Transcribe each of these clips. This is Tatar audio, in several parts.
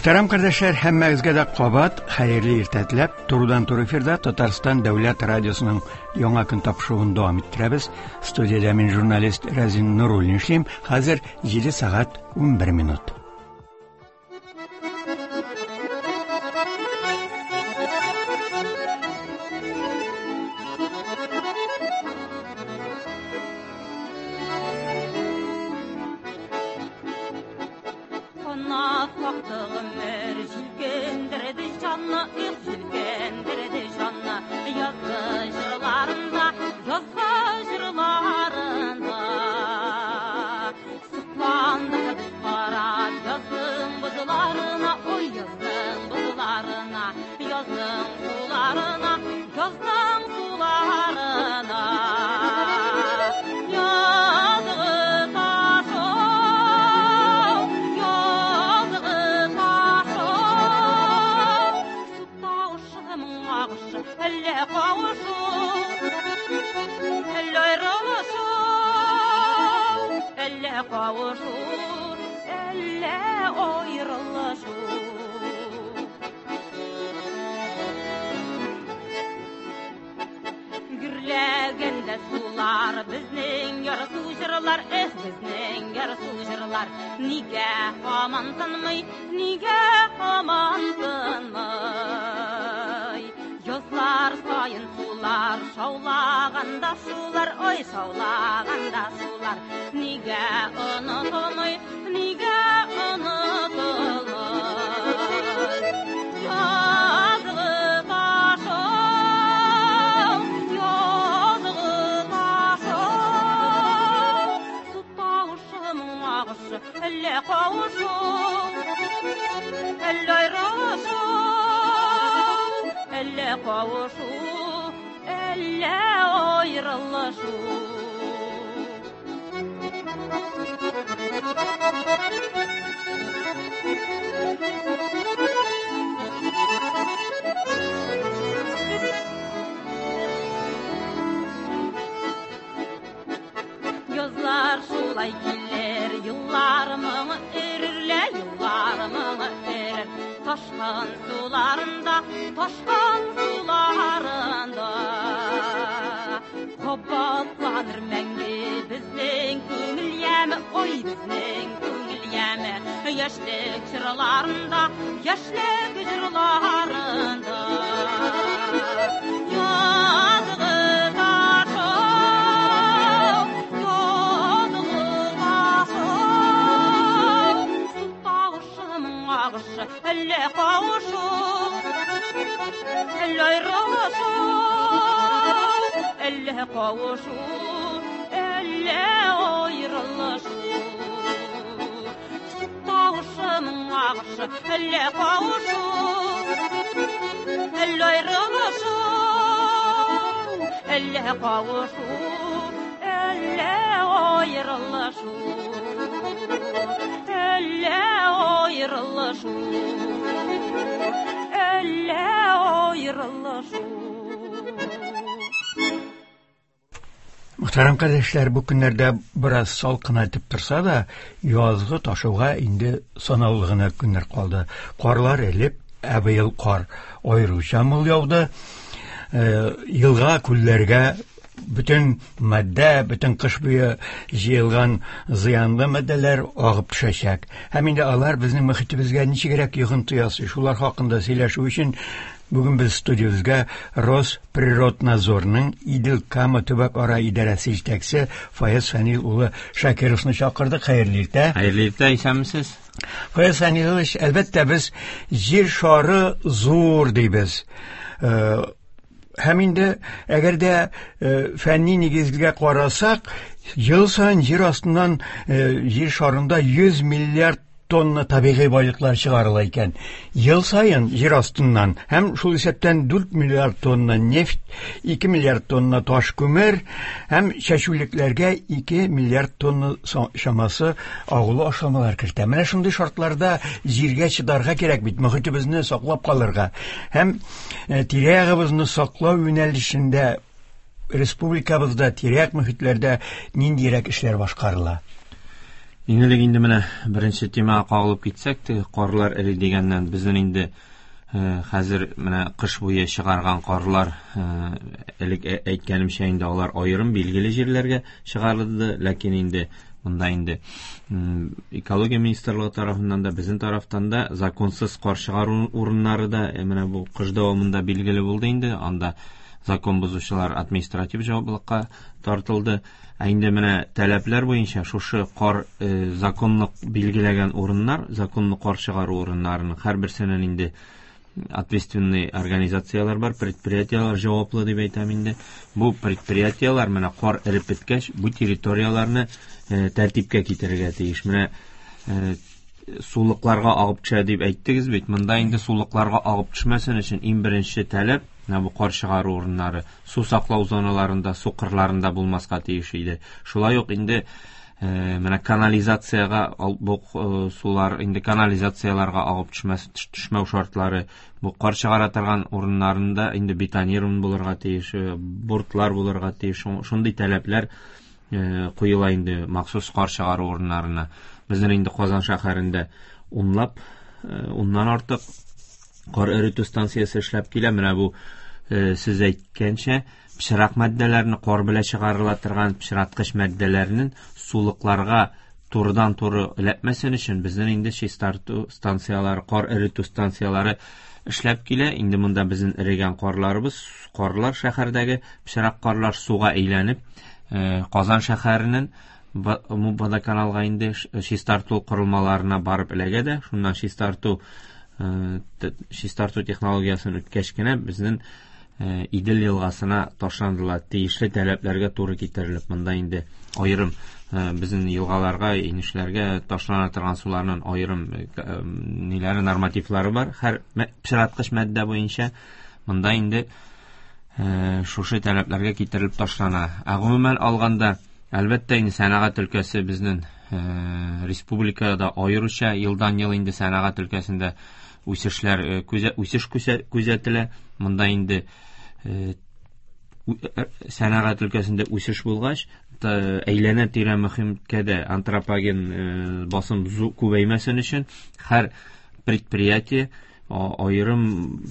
Мөхтәрәм кардәшләр, һәммәгезгә дә кабат хәерле иртә теләп, турыдан-туры эфирда Татарстан дәүләт радиосының яңа көн тапшыруын дәвам иттерәбез. Студиядә мин журналист Рәзин Нуруллин эшлим. Хәзер 7 сәгать 11 минут. Канат какты гомер, җилкендерде җанны, их, җилкендерде җанны. Язгы җырларында, язгы җырларында. Сокландык без карап язның бозларына, ой, язның бозларына, язның суларына, язның суларына. Язгы ташу, язгы ташу, су тавышы, моң агышы, әллә кавышу, әллә аерылышу, әллә кавышу, әллә аерылышу. Гөрләгәндә сулар, безнең ярсу җырлар, эх, безнең ярсу җырлар. Нигә һаман тынмый, нигә һаман тынмый? Язлар саен сулар, шаулаганда шулар, ой, шаулаганда шулар. Нигә онытылмый, нигә онытылмый? Язгы ташу, язгы ташу, су тавышы, моң агышы, әллә кавышу, әллә аерылышу, әллә кавышу, әллә аерылышу. Язлар шулай килер, еллар моңы эрерлә, еллар моңы эрер. Ташкын суларында, ташкын суларында. Кабатланыр мәңге безнең күңел яме, ой, безнең күңел яме. Яшьлек җырларында, яшьлек җырларында. Язгы ташу, язгы ташу, су тавышы, моң агышы, әллә кавышу, әллә аерылышу, әллә кавышу, әллә аерылышу. Су тавышы, моң агышы, әллә кавышу, әллә аерылышу, әллә кавышу, әллә аерылышу, әллә аерылышу, әллә аерылышу. Мөхтәрәм кардәшләр, бу көннәрдә бераз салкынайтып торса да, язгы ташуга инде санаулы гына көннәр калды. Карлар элеп, ә быел кар аеруча мул яуды. Елга, күлләргә бөтен матдә, бөтен кыш буе җыелган зыянлы матдәләр агып төшәчәк. Һәм инде алар безнең мөхитебезгә ничегрәк йогынты ясый, шулар хакында сөйләшү өчен бүген без студиябезгә Росприроднадзорның Идел-Кама төбәк-ара идарәсе җитәкчесе Фаяз Фәнил улы Шакировны чакырдык. Хәерле иртә. Хәерле иртә, исәнмесез. Фаяз Фәнилович, әлбәттә, без җир шары зур дибез. Һәм инде әгәр дә фәнни нигезгә карасак, ел саен җир астыннан җир шарында 100 миллиард тонна табигый байлыклар чыгарыла икән. Ел саен җир астыннан һәм шул исәптән 4 миллиард тонна нефть, 2 миллиард тонна таш күмер һәм чәчүлекләргә 2 миллиард тонна чамасы агулы ашламалар кертә. Менә шундый шартларда җиргә чыдарга кирәк бит, мөхитебезне саклап калырга һәм тирә-ягыбызны саклау юнәлешендә республикабызда тирә-як мөхитләрдә ниндирәк эшләр башкарыла? Иң элек инде менә беренче темага кагылып китсәк, теге карлар эри дигәннән, безнең инде хәзер менә кыш буе чыгарган карлар, элек әйткәнемчә инде алар аерым билгеле җирләргә чыгарылды, ләкин инде монда инде экология министрлыгы тарафыннан да, безнең тарафтан да законсыз кар чыгару урыннары да менә бу кыш дәвамында билгеле булды инде. Анда закон бозучылар административ җаваплылыкка тартылды. Ә инде менә таләпләр буенча шушы кар законлык билгеләгән урыннар, законлы кар чыгару урыннарының һәрберсенең инде ответственный организацияләр бар, предприятиеләр җаваплы дип әйтәм инде. Бу предприятиеләр менә кар эреп беткәч, бу территорияләрне тәртипкә китерергә тиеш. Менә сулыкларга агып төшә дип әйттегез бит. Монда инде сулыкларга агып төшмәсен өчен иң беренче таләп, менә бу кар чыгару урыннары су саклау зоналарында, су кырларында булмаска тиеш иде. Шулай ук инде менә канализациягә бу сулар инде канализацияләргә агып төшмәс, төшмәү шартлары, бу кар чыгара торган урыннарында инде бетонирован булырга тиеш, бортлар булырга тиеш. Шундый таләпләр куела инде махсус кар чыгару урыннарына. Безнең инде Казан шәһәрендә уннан артык кар эретү станциясе эшләп килә. Менә бу сез әйткәнчә, пычрак матдәләрне, кар белән чыгарыла торган пычраткыч матдәләрнең сулыкларга турыдан-туры эләкмәсен өчен безнең инде чистарту станцияләре, кар эретү станцияләре эшләп килә. Инде монда безнең эрегән карларыбыз, карлар шәһәрдәге пычрак карлар суга әйләнеп, Казан шәһәренең водоканалга инде чистарту корылмаларына барып эләгә дә, шуннан чистарту технологиясен үткәч кенә безнең Идел елгасына ташландылар. Тиешле таләпләргә туры китерелеп, монда инде аерым безнең елгаларга, инешләргә ташлана торган суларның аерым ниләре, нормативлары бар. Һәр пычраткыч матдә буенча монда инде шушы таләпләргә китерелеп ташлана. Ә гомумән алганда, әлбәттә, инде сәнәгать өлкәсе безнең республикада аеруча елдан-ел инде сәнәгать өлкәсендә үсеш күзәтелә. Монда инде сәнәгать өлкәсендә үсеш булгач, әйләнә-тирә мөхиткә дә антропоген басым күбәймәсен өчен һәр предприятие аерым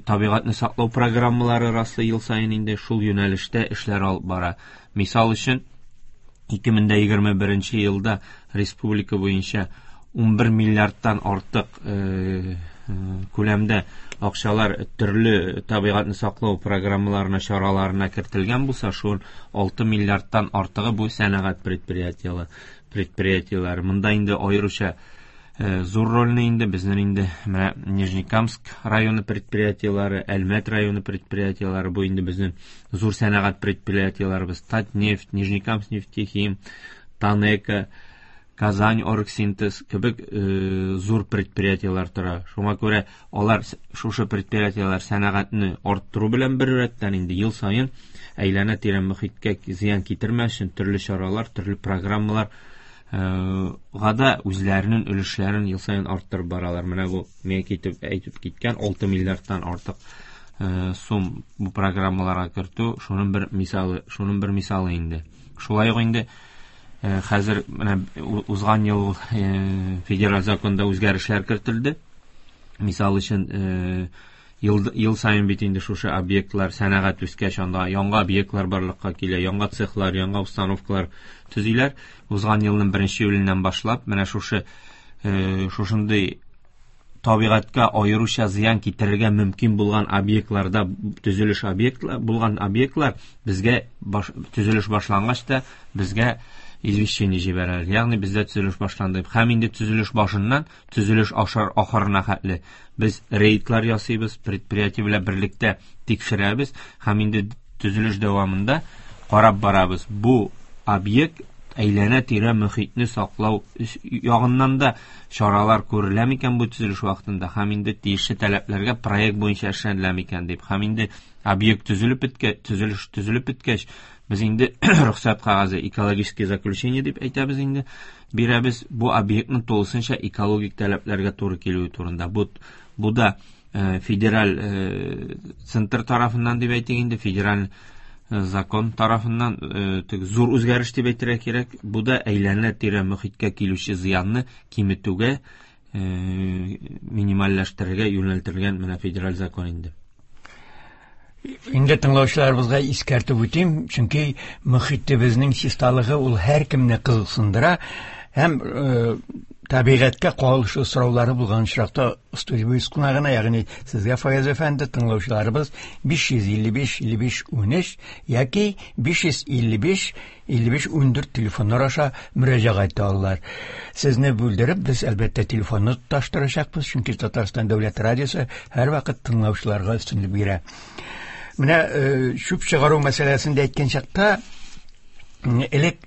табигатьне саклау программалары раслый ел саен инде шул юнәлештә эшләр алып бара. Мисал өчен, 2021 елда республика буенча 11 миллиардтан артык күләмдә акчалар төрле табигатьне саклау программаларына, чараларына кертелгән булса, шул 6 миллиардтан артыгы бу сәнәгать предприятиеләре. Монда инде аеруча зур рольне инде безнең инде менә Нижнекамск районы предприятиеләре, Әлмәт районы предприятиеләре, бу инде безнең зур сәнәгать предприятиеләребез, Татнефть, Нижнекамск нефтехим, Танека, Казань оргсинтез кебек зур предприятиеләр тора. Шуңа күрә алар шушы предприятиеләр сәнәгатьне арттыру белән бер рәттән инде ел саен әйләнә-тирә мөхиткә зыян китермәс өчен төрле чаралар, төрле программалар гада үзләренең өлешләрен ел саен арттырып баралар. Менә бу мин әйтеп киткән 6 миллиардтан артык сум бу программаларга кертү, шуның бер мисалы инде. Шулай ук инде хәзер менә узган ел федераль законда үзгәрешләр кертелде. Мисал өчен, ел саен бит инде шушы объектлар сәнәгать үскәч, анда яңа объектлар барлыкка килә, яңа цехлар, яңа установкалар төзиләр. Узган елның 1 июленнән башлап менә шушындый табигатькә аеруча зыян китерергә мөмкин булган объектларда төзелеш объектлар булган объектлар безгә төзелеш башлангач та безгә извещение җибәрәләр. Ягъни бездә төзелеш башланды. Һәм инде төзелеш башыннан төзелеш ахырына хәтле без рейдлар ясыйбыз, предприятие белән берлектә тикшерәбез һәм инде төзелеш дәвамында карап барабыз. Бу объект әйләнә-тирә мөхитне саклау ягыннан да чаралар күрелә микән бу төзелеш вакытында һәм инде тиешле таләпләргә проект буенча эшләнелә микән дип. Һәм инде объект төзелеп беткәч, төзелеш төзелеп беткәч, без инде рөхсәт кәгазе, экологическое заключение дип әйтәбез инде, бирәбез бу объектның тулысынча экологик таләпләргә туры килүе турында. Бу да федераль центр тарафыннан дип әйтик инде, федераль Закон тарафыннан зур үзгәреш дип әйтергә кирәк. Бу да әйләнә-тирә мөхиткә килүче зыянны киметүгә, минимальләштерергә юнәлтелгән менә федераль закон инде. Инде тыңлаучыларыбызга искәртеп үтим, чөнки мөхитебезнең чисталыгы ул һәркемне кызыксындыра һәм табигатькә кагылышлы сораулары булган очракта студиябез кунагына, ягъни сезгә, Фаяз әфәнде, тыңлаучыларыбыз 555 55 13 яки 555 55 14 телефоннар аша мөрәҗәгать итә алалар. Сезне бүлдереп, без әлбәттә телефонны тоташтырачакбыз, чөнки Татарстан дәүләт радиосы һәрвакыт тыңлаучыларга өстенлек бирә. Менә чүп чыгару мәсьәләсен дә әйткән чакта, элек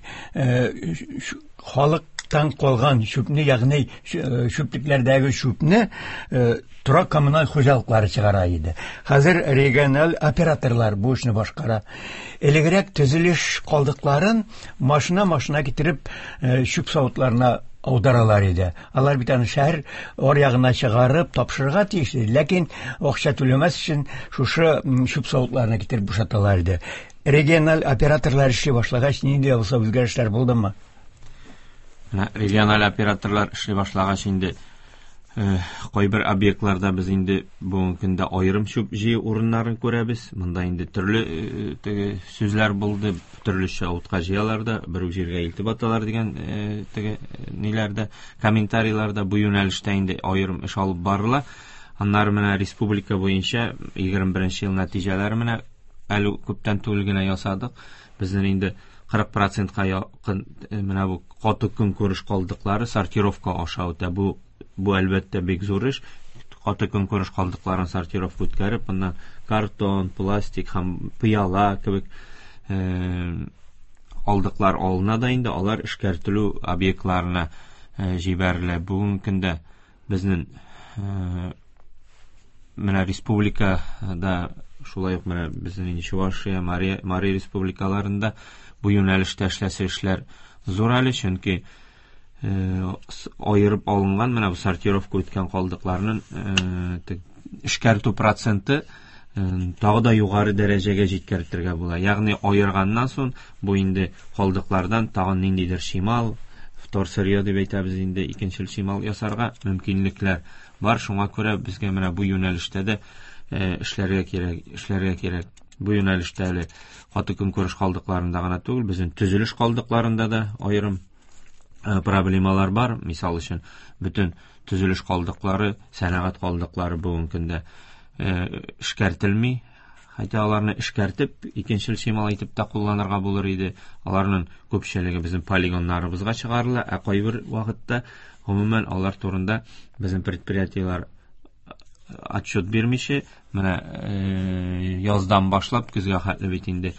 халыктан калган чүпне, ягъни чүплекләрдәге чүпне торак коммуналь хуҗалыклары чыгара иде. Хәзер региональ операторлар бу эшне башкара. Элегрәк төзелеш калдыкларын машина-машина китереп чүп савытларына аударалар иде. Алар бит аны шәһәр аръягына чыгарып тапшырырга тиеш иде. Ләкин акча түләмәс өчен шушы чүп савытларына китереп бушаталар иде. Региональ операторлар эшли башлагач, нинди дә булса үзгәрешләр булдымы? Менә региональ операторлар эшли башлагач инде кайбер объектларда без инде бүгенге көндә аерым чүп җыю урыннарын күрәбез. Монда инде төрле теге сүзләр булды, төрлечә утка җыялар да, бер үк җиргә илтеп аталар дигән теге ниләрдә, комментарийларда бу юнәлештә инде аерым эш алып барыла. Аннары менә республика буенча 21 ел нәтиҗәләре менә әле күптән түгел генә ясадык. Безнең инде 40%-ка якын менә бу каты көнкүреш калдыклары сортировка аша үтә. Бу әлбәттә бик зур эш. Каты көнкүреш калдыкларын сортировка үткәреп, моннан картон, пластик һәм пыяла кебек калдыклар алына да инде алар эшкәртелү объектларына җибәрелә. Бүгенге көндә безнең менә республикада, шулай ук менә безнең инде Чувашия, Мари республикаларында бу юнәлештә эшләсе эшләр зур әле, чөнки аерып алынган менә бу сортировка үткән калдыкларның эшкәртү проценты тагы да югары дәрәҗәгә җиткертергә була. Ягъни аерганнан соң бу инде калдыклардан тагын ниндидер чимал, вторсырье дип әйтәбез инде, икенчел чимал ясарга мөмкинлекләр бар. Шуңа күрә безгә менә бу юнәлештә дә эшләргә кирәк, эшләргә кирәк. Бу юнәлештә әле каты көнкүреш калдыкларында гына түгел, безнең төзелеш калдыкларында да аерым проблемалар бар. Мисал өчен, бөтен төзелеш калдыклары, сәнәгать калдыклары бүгенге көндә эшкәртелми. Хәтта аларны эшкәртеп, икенчел чимал итеп тә кулланырга булыр иде. Аларның күпчелеге безнең полигоннарыбызга чыгарыла, ә кайбер вакытта гомумән алар турында безнең предприятиеләр отчет бирмичә, менә яздан башлап көзгә хәтле бит инде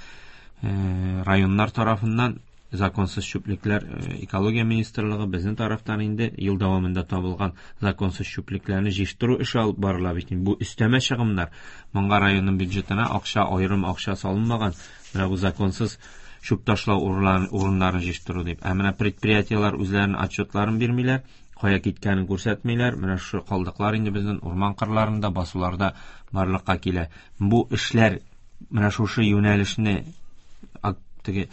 районнар тарафыннан законсыз чүплекләр, экология министрлыгы безнең тарафтан инде ел дәвамында табылган законсыз чүплекләрне җыештыру эше алып барыла бит. Бу өстәмә чыгымнар. Моңа районның бюджетына акча, аерым акча салынмаган. Менә бу законсыз чүп ташлау урыннарын җыештыру дип. Ә менә предприятиеләр үзләренең отчетларын бирмиләр, кая киткәнен күрсәтмиләр. Менә шушы калдыклар инде безнең урман кырларында, басуларда барлыкка килә. Бу эшләр менә шушы юнәлешне, теге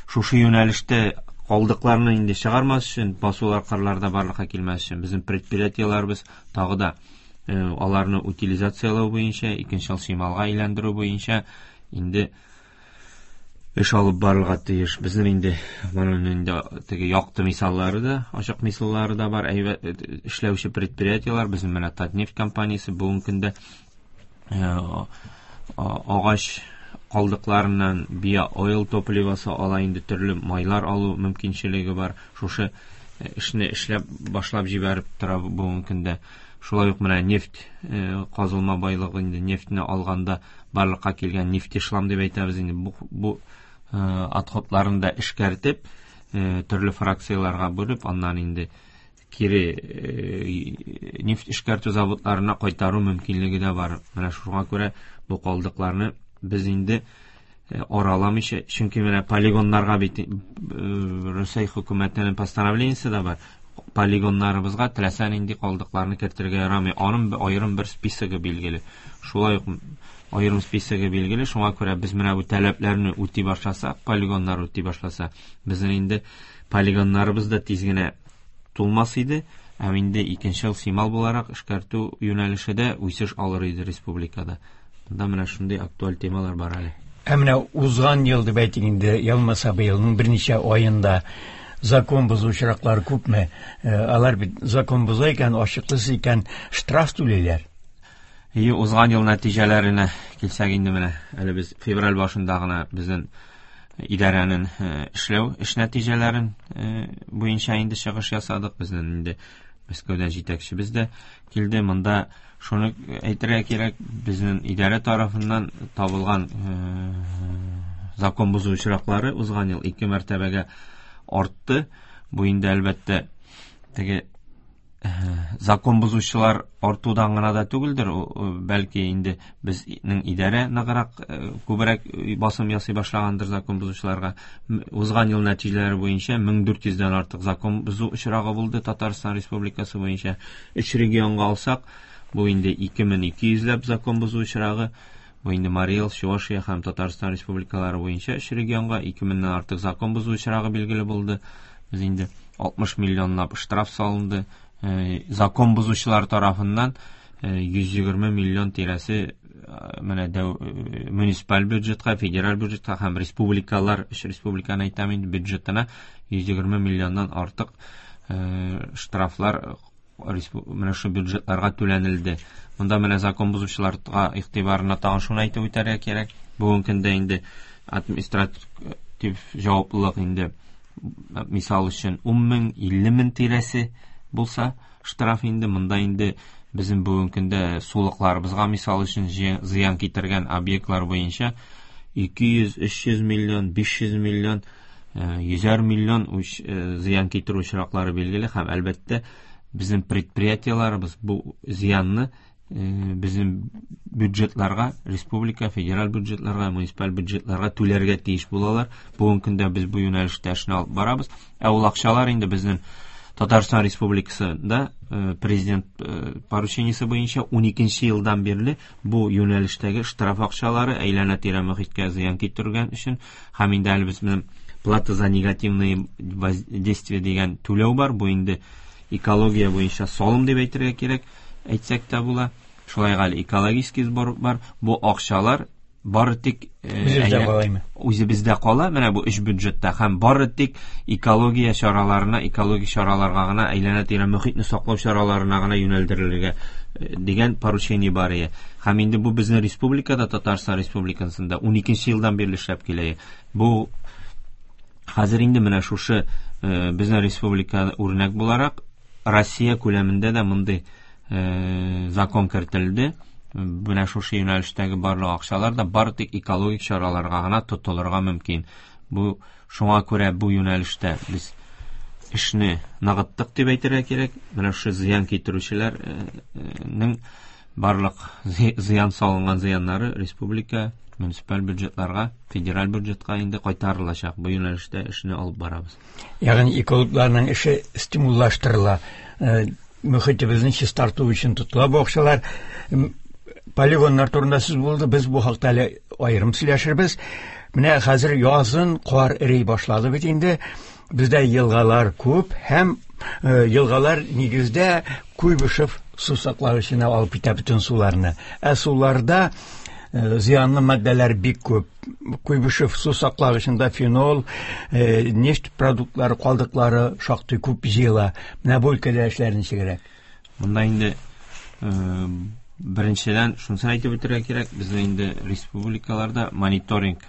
шушы юнәлештә калдыкларны инде чыгармас өчен, басулар, кырларда барлыкка килмәс өчен безнең предприятиеләребез тагы да аларны утилизацияләү буенча, икенчел чималга әйләндерү буенча инде эш алып барырга тиеш. Безнең инде моның инде теге якты мисаллары да, ачык мисаллары да бар. Әйбәт эшләүче предприятиеләр, безнең менә Татнефть компаниясе бүгенге көндә агач калдыкларыннан био-ойл топливосы ала, инде төрле майлар алу мөмкинчелеге бар. Шушы эшне эшләп башлап җибәреп тора бүгенге көндә. Шулай ук менә нефть казылма байлыгы, инде нефтьне алганда барлыкка килгән нефтешлам дип әйтәбез инде, бу отходларын да эшкәртеп, төрле фракцияләргә бүлеп, аннан инде кире нефть эшкәртү заводларына кайтару мөмкинлеге дә бар. Менә шуңа күрә бу калдыкларны без инде араламыйча, чөнки менә полигоннарга бит Русия хөкүмәтенең постановлениесе дә бар. Полигоннарыбызга теләсә нинди калдыкларны кертергә ярамый. Аның аерым бер списогы билгеле. Шулай ук аерым списогы билгеле. Шуңа күрә без менә бу таләпләрне үти башласак, полигоннар үти башласа, безнең инде полигоннарыбыз да тиз генә тулмас иде. Һәм инде икенчел симал буларак эшкәртү юнәлеше дә үсеш алыр иде республикада. Монда менә шундый актуаль темалар бар әле. Ә менә узган ел дип әйтик инде, я булмаса быелның берничә аенда закон бозу очраклары күпме? Алар бит закон боза икән, ачыклысыз икән, штраф түлиләр. И узган ел нәтиҗәләренә килсәк инде, менә әле без февраль башында гына безнең идарәнең эшләү эш нәтиҗәләрен буенча инде чыгыш ясадык. Безнең инде Мәскәүдән җитәкчебез дә килде. Монда шуны әйтергә кирәк, безнең идарә тарафыннан табылган закон бозу очраклары узган ел 2 мәртәбәгә артты. Бу инде, әлбәттә, теге закон бозучылар артудан гына да түгелдер, бәлки инде безнең идарә ныграк, күбрәк басым ясый башлагандыр закон бозучыларга. Узган ел нәтиҗәләре буенча 1400дән артык закон бозу очрагы булды Татарстан Республикасы буенча. Өч регионга алсак, бу инде 2200ләп закон бозу очрагы. Бу инде Марий Эл, Чувашия һәм Татарстан республикалары буенча өч регионга 2000ннән артык закон бозу очрагы билгеле булды. Без инде 60 миллионлап штраф салынды. Закон бозучылар тарафыннан 120 миллион тирәсе менә муниципаль бюджетка, федераль бюджетка һәм республикалар, өч республиканы әйтәм инде, бюджетына 120 миллионнан артык штрафлар менә шу бюджетларга түләнелде. Монда менә закон бозучыларга игътибарына тагын шуны әйтеп үтәргә кирәк. Бүгенге көндә инде административ җаваплылык инде, мисал өчен, 10 мең, 50 мең тирәсе булса штраф инде, монда инде безнең бүгенге көндә сулыкларыбызга, мисал өчен, зыян китергән объектлар буенча 200, 300 миллион, 500 миллион, 100 миллион зыян китерү очраклары билгеле һәм, әлбәттә, безнең предприятиеләребез бу зыянны безнең бюджетларга, республика, федераль бюджетларга, муниципаль бюджетларга түләргә тиеш булалар. Бүгенге көндә без бу юнәлештә эшне алып барабыз. Ә ул акчалар инде безнең Татарстан Республикасында президент поручениесе буенча 12 елдан бирле бу юнәлештәге штраф акчалары әйләнә-тирә мохиткә зыян китергән өчен һәм инде әле безнең плата за негативные воздействия дигән түләү бар. Бу инде экология буенча салым дип әйтергә кирәк, әйтсәк тә була. Шулай әле экологический сбор бар. Бу акчалар бары тик Үзебездә кала. Үзебездә кала, менә бу өч бюджетта һәм бары тик экология чараларына, экологик чараларга гына, әйләнә-тирә мохитне саклау чараларына гына юнәлдерелергә дигән поручение бар иде. Һәм инде бу безнең республикада, Татарстан Республикасында 12 елдан бирле эшләп килә. Бу хәзер инде менә шушы безнең республика үрнәк буларак Россия күләмендә дә мондый закон кертелде. Менә шушы юнәлештәге барлык акчалар да бары тик экологик чараларга гына тотылырга мөмкин. Бу шуңа күрә бу юнәлештә без эшне ныгыттык дип әйтергә кирәк. Менә шушы зыян китерүчеләрнең барлык зыян салынган зыяннары республика, муниципаль бюджетларга, федераль бюджетка инде кайтарылачак. Бу юнәлештә эшне алып барабыз. Ягъни экологларның эше стимуллаштырыла. Мөхитебезне чистарту өчен тотыла бу акчалар. Полигоннар турында сүз булды. Без бу хакта әле аерым сөйләшербез. Менә хәзер язын кар эри башлады бит инде. Бездә елгалар күп һәм елгалар нигездә Куйбышев су саклагычына алып китә бөтен суларны. Ә суларда зыянлы матдәләр бик күп. Куйбышев су саклагычында фенол, нефть продуктлары, калдыклары шактый күп җыела. Менә бу өлкәдә эшләр ничегрәк? Монда инде беренчедән шунысын әйтеп үтәргә кирәк, безнең инде республикаларда мониторинг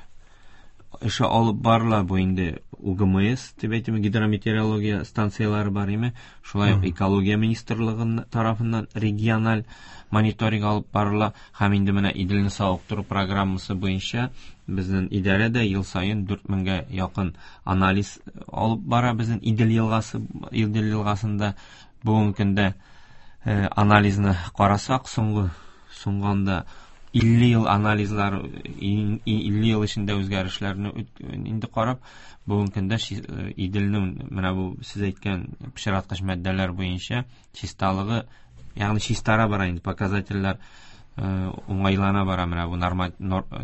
эше алып барыла. Бу инде УГМС дип әйтим, гидрометеорология станцияләре бар име. Шулай ук экология министрлыгы тарафыннан региональ мониторинг алып барыла. Һәм инде менә Иделне савыктыру программасы буенча безнең идарә дә ел саен 4000гә якын анализ алып бара безнең Идел елгасы, Идел елгасында бүгенге көндә анализны карасак, соңгы соңганда 50 ел анализлар, 50 ел эчендә үзгәрешләрне инде карап, бүгенге көндә Иделнең менә бу сез әйткән пычраткыч матдәләр буенча чисталыгы, ягъни чистара бара инде, показательләр уңайлана бара. Менә бу норма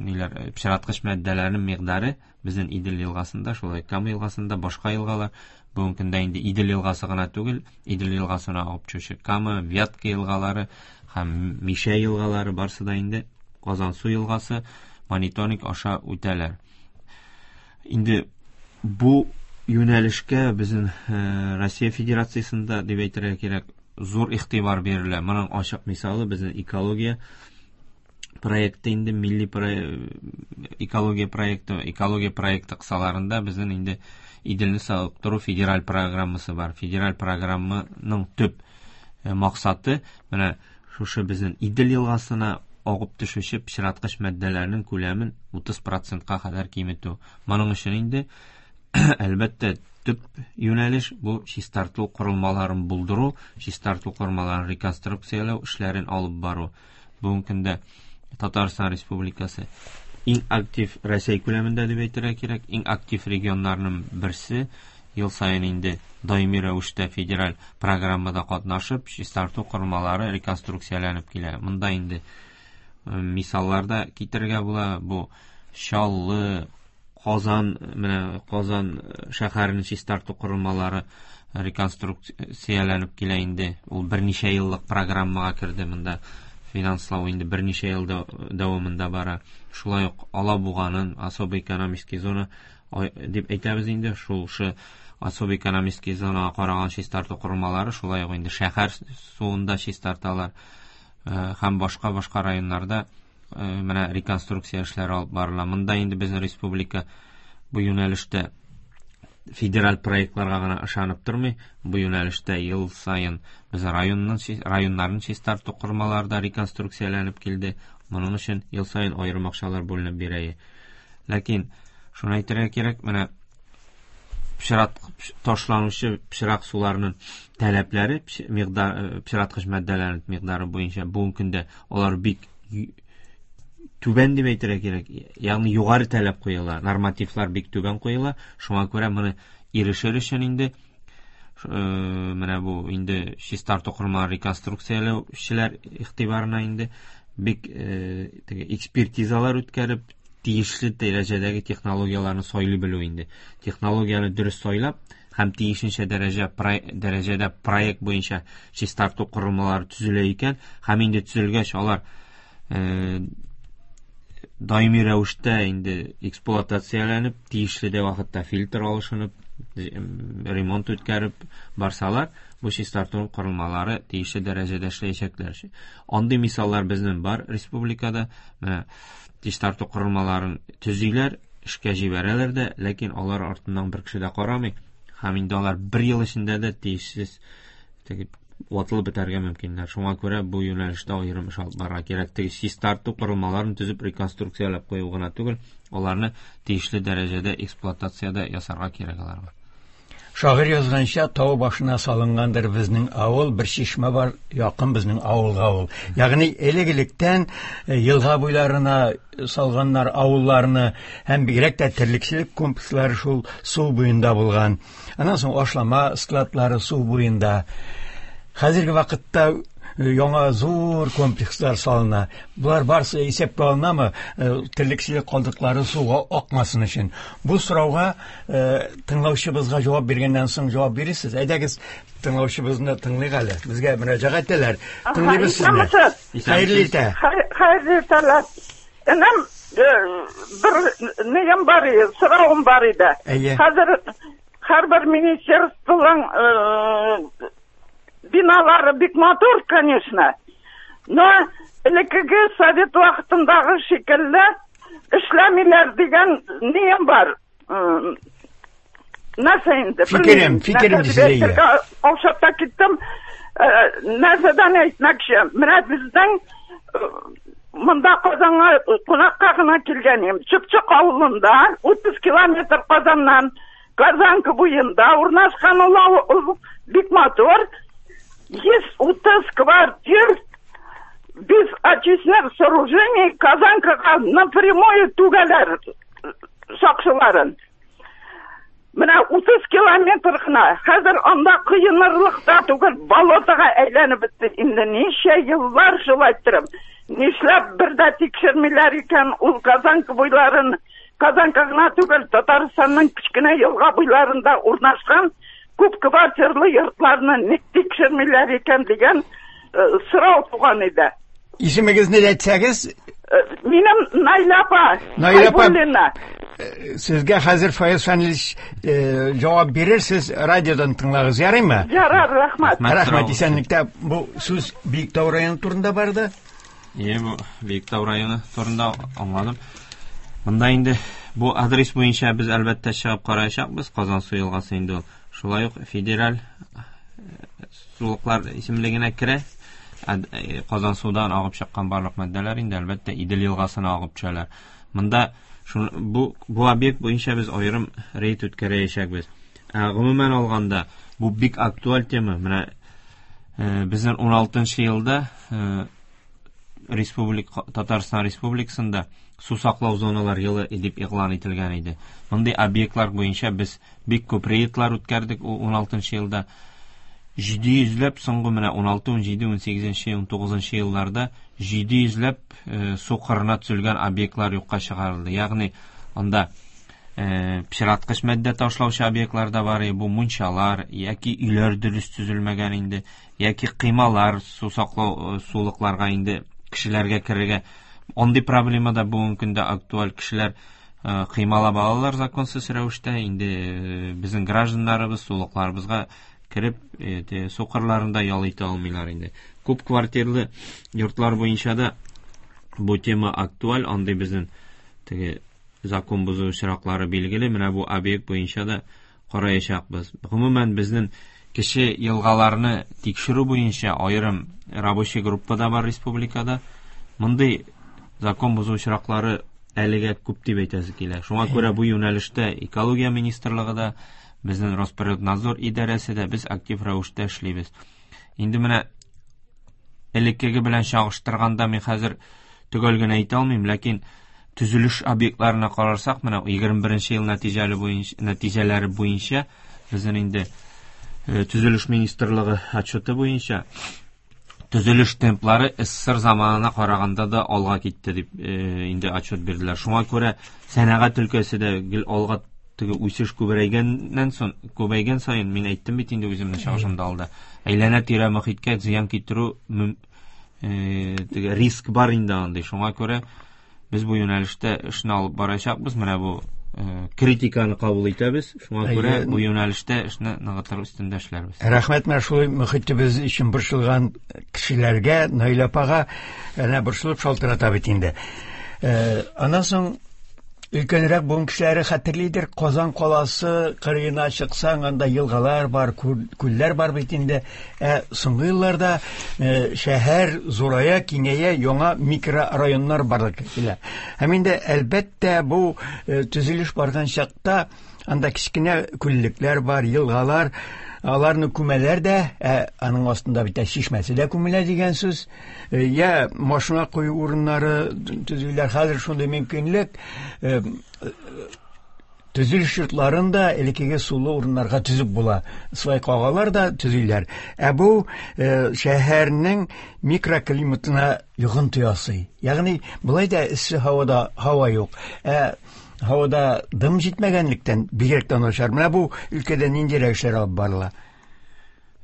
ниләр, пычраткыч матдәләрнең микъдары безнең Идел елгасында, шулай Кама елгасында, башка елгалар бүгенге көндә инде Идел елгасы гына түгел, Идел елгасына агып төшүче Кама, Вятка елгалары һәм Мишә елгалары барсы да инде Казансу елгасы мониторинг аша үтәләр. Инде бу юнәлешкә безнең Россия Федерациясендә дип әйтергә кирәк, зур игътибар бирелә. Моның ачык мисалы безнең экология проекты инде, милли экология проекты, экология проекты кысаларында безнең инде Иделне савыктыру федераль программасы бар. Федераль программаның төп максаты менә шушы безнең Идел елгасына агып төшүче пычраткыч матдәләрнең күләмен 30%-ка кадәр киметү. Моның өчен инде әлбәттә төп юнәлеш бу чистарту корылмаларын булдыру, чистарту корылмаларын реконструкцияләү эшләрен алып бару. Бүгенге көндә Татарстан Республикасы иң актив Россия күләмендә дип әйтергә кирәк, иң актив регионнарның берсе. Ел саен инде даими рәвештә федераль программада катнашып, чистарту корылмалары реконструкцияләнеп килә. Монда инде мисаллар да китерергә була. Бу Чаллы, Казан, менә Казан шәһәренең чистарту корылмалары реконструкцияләнеп килә инде. Ул берничә еллык программага керде монда. Финанслау инде берничә ел дәвамында бара. Шулай ук Алабуганың особый экономический зона дип әйтәбез инде, шул особый экономический зонага караган чистарту корылмалары шулай ук инде шәһәр суында чистарталар. Һәм башка-башка районнарда менә реконструкция эшләре алып барыла. Монда инде безнең республика бу юнәлештә федераль проектларга гына ышанып тормый. Бу юнәлештә ел саен без районнарның чистарту корылмалары да реконструкцияләнеп килде. Моның өчен ел саен аерым акчалар бүленеп бирә. Ләкин шуны әйтергә кирәк, менә пычрак ташланучы пычрак суларның таләпләре, микъдар, пычраткыч матдәләрнең микъдары буенча бүгенге көндә алар бик түбән дип әйтергә кирәк. Ягъни югары таләп куела, нормативлар бик түбән куела. Шуңа күрә моны ирешер өчен инде менә бу инде чистарту корылмаларын реконструкцияләүчеләр игътибарына инде бик теге экспертизалар үткәреп, тиешле дәрәҗәдәге технологияләрне сайлый белү инде. Технологияне дөрес сайлап һәм тиешенчә дәрәҗәдә проект буенча чистарту корылмалары төзелә икән, һәм инде төзелгәч алар даими рәвештә инде эксплуатацияләнеп, тиешле дә вакытта фильтр алышынып, ремонт үткәреп барсалар, бу чистарту корылмалары тиешле дәрәҗәдә эшләячәкләр. Андый мисаллар безнең бар республикада. Менә чистарту корылмаларын төзиләр, эшкә җибәрәләр дә, ләкин алар артыннан бер кеше дә карамый. Һәм инде алар бер ел эчендә дә тиешсез теге ватылып бетәргә мөмкиннәр. Шуңа күрә бу юнәлештә аерым эш алып барырга кирәк. Теге чистарту корылмаларын төзеп реконструкцияләп кую гына түгел, аларны тиешле дәрәҗәдә эксплуатациядә ясарга кирәк аларга. Шагыйрь язганча, тау башына салынгандыр безнең авыл, бер чишмә бар якын безнең авылга ул. Ягъни элек-электән елга буйларына салганнар авылларны, һәм бигрәк тә терлекчелек комплекслары шул су буенда булган. Аннан соң ашлама складлары су буенда. Хәзерге вакытта яңа зур комплекслар салына. Булар барысы исәпкә алынамы? Терлекчелек калдыклары суга акмасын өчен. Бу сорауга тыңлаучыбызга җавап биргәннән соң җавап бирерсез. Әйдәгез, тыңлаучыбызны тыңлыйк әле. Безгә мөрәҗәгать итәләр. Тыңлыйбыз сезне. Исәнмесез. Хәерле иртә. Хәерле иртәләр. Энем, бер нигем бар иде, соравым бар иде. Әйе. Хәзер һәрбер министерствоның биналары бик матур, конечно. Но элеккеге совет вакытындагы шикелле эшләмиләр дигән нием бар. Нәрсә инде? Фикерем, Белмим. фикерем Нәрсә дисез, дип әйе. әйтергә каушап та киттем. Нәрсәдән әйтмәкче? Менә безнең монда Казанга кунакка гына килгән идем. Чыпчык авылында, 30 километр Казаннан, Казанка буенда урнашкан ул авыл бик матур. 130 квартир без очередь. Очистных сооружений Казанкага напрямую түгәләр сакчыларын. Менә 30 километр гына. Хәзер анда коенырлык та түгел, болотага әйләнеп бетте. Инде ничә еллар шулай торып. Нишләп бер дә тикшермиләр икән ул Казанка буйларын? Казанка гына түгел, Татарстанның кечкенә елга буйларында урнашкан күп квартирлы йортларны ник тикшермиләр икән дигән сорау туган иде. Исемегезне әйтсәгез? Минем Наилә апа. Наилә апа. Сезгә хәзер Фаяз Фәнилович җавап бирер, сез радиодан тыңлагыз, ярыймы? Ярар, рәхмәт. Рәхмәт, исәнлектә. Бу сүз Биектау районы турында барды. Ие, бу Биектау районы турында аңладым. Монда инде бу адрес буенча без әлбәттә чыгып караячакбыз. Казансу елгасы инде ул шулай ук федераль сулыклар исемлегенә керә. Казансудан агып чыккан барлык матдәләр инде әлбәттә Идел елгасына агып төшәләр. Монда бу объект буенча без аерым рейд үткәрәчәкбез. Гомумән алганда, бу бик актуаль тема. Менә безнең 16 елда Республика Татарстан Республикасында су саклау зоналар елы дип игълан ителгән иде. Мондый объектлар буенча без бик күп рейдлар үткәрдек 16 елда. 700 ләп соңгы менә 16, 17, 18, 19 елларда 700 ләп су кырына төзелгән объектлар юкка чыгарылды. Ягъни анда пычраткыч матдә ташлаучы объектлар да бар, бу мунчалар яки өйләр дөрес төзелмәгән инде, яки кыймалар су саклау сулыкларга инде кешеләргә керергә. Андый проблема да бүгенге көндә актуаль. Кешеләр кыймалап алалар законсыз рәвештә, инде безнең гражданнарыбыз сулыкларыбызга кереп су кырларында ял итә алмыйлар инде. Күп квартирлы йортлар буенча да бу тема актуаль, андый безнең теге закон бозу очраклары билгеле. Менә бу объект буенча да караячакбыз. Гомумән безнең кече елгаларны тикшерү буенча аерым рабочий группа да бар республикада. Мондый закон бозу очраклары әлегә күп дип әйтәсе килә. Шуңа күрә бу юнәлештә экология министрлыгы да, безнең Росприроднадзор идарәсе дә без актив рәвештә эшлибез. Инде менә элеккеге белән чагыштырганда мин хәзер төгәл генә әйтә алмыйм, ләкин төзелеш объектларына карарсак, менә 21 ел нәтиҗәләре буенча безнең инде төзелеш министрлыгы отчеты буенча төзелеш темплары СССР заманына караганда да алга китте дип инде отчет бирделәр. Шуңа күрә сәнәгать өлкәсе дә гел алга теге үсеш күбәйгәннән соң, күбәйгән саен, мин әйттем бит инде үземнең чыгышымда алда, әйләнә-тирә мохиткә зыян китерү теге риск бар инде андый. Шуңа күрә без бу юнәлештә эшне алып барачакбыз. Менә бу критиканы кабул итәбез. Шуңа күрә бу юнәлештә эшне ныгытыр өстендә эшләрбез. Рәхмәт менә шулай мөхитебез өчен борчылган кешеләргә, Наилә апага әнә борчылып шалтырата бит инде. Аннан соң өлкәнрәк буын кешеләре хәтерлидер, Казан каласы кырыена чыксаң, анда елгалар бар, күлләр бар бит инде. Соңгы елларда шәһәр зурая, киңәя, яңа микрорайоннар барлыкка килә. Һәм инде әлбәттә бу төзелеш барган чакта анда кечкенә күллекләр бар, елгалар, аларны күмәләр дә, аның астында бит чишмәсе дә күмелә дигән сүз. Я машина кую урыннары төзүләр, хәзер шундый мөмкинлек, төзелеш йортларын да элеккеге сулы урыннарга төзеп була. Свай кагалар да төзиләр. Ә бу шәһәрнең микроклиматына йогынты ясый. Ягъни болай да эссе һавада һава юк. Ә һавада дым җитмәгәнлектән бигрәк тә начар. Менә бу өлкәдә ниндирәк эшләр алып барыла?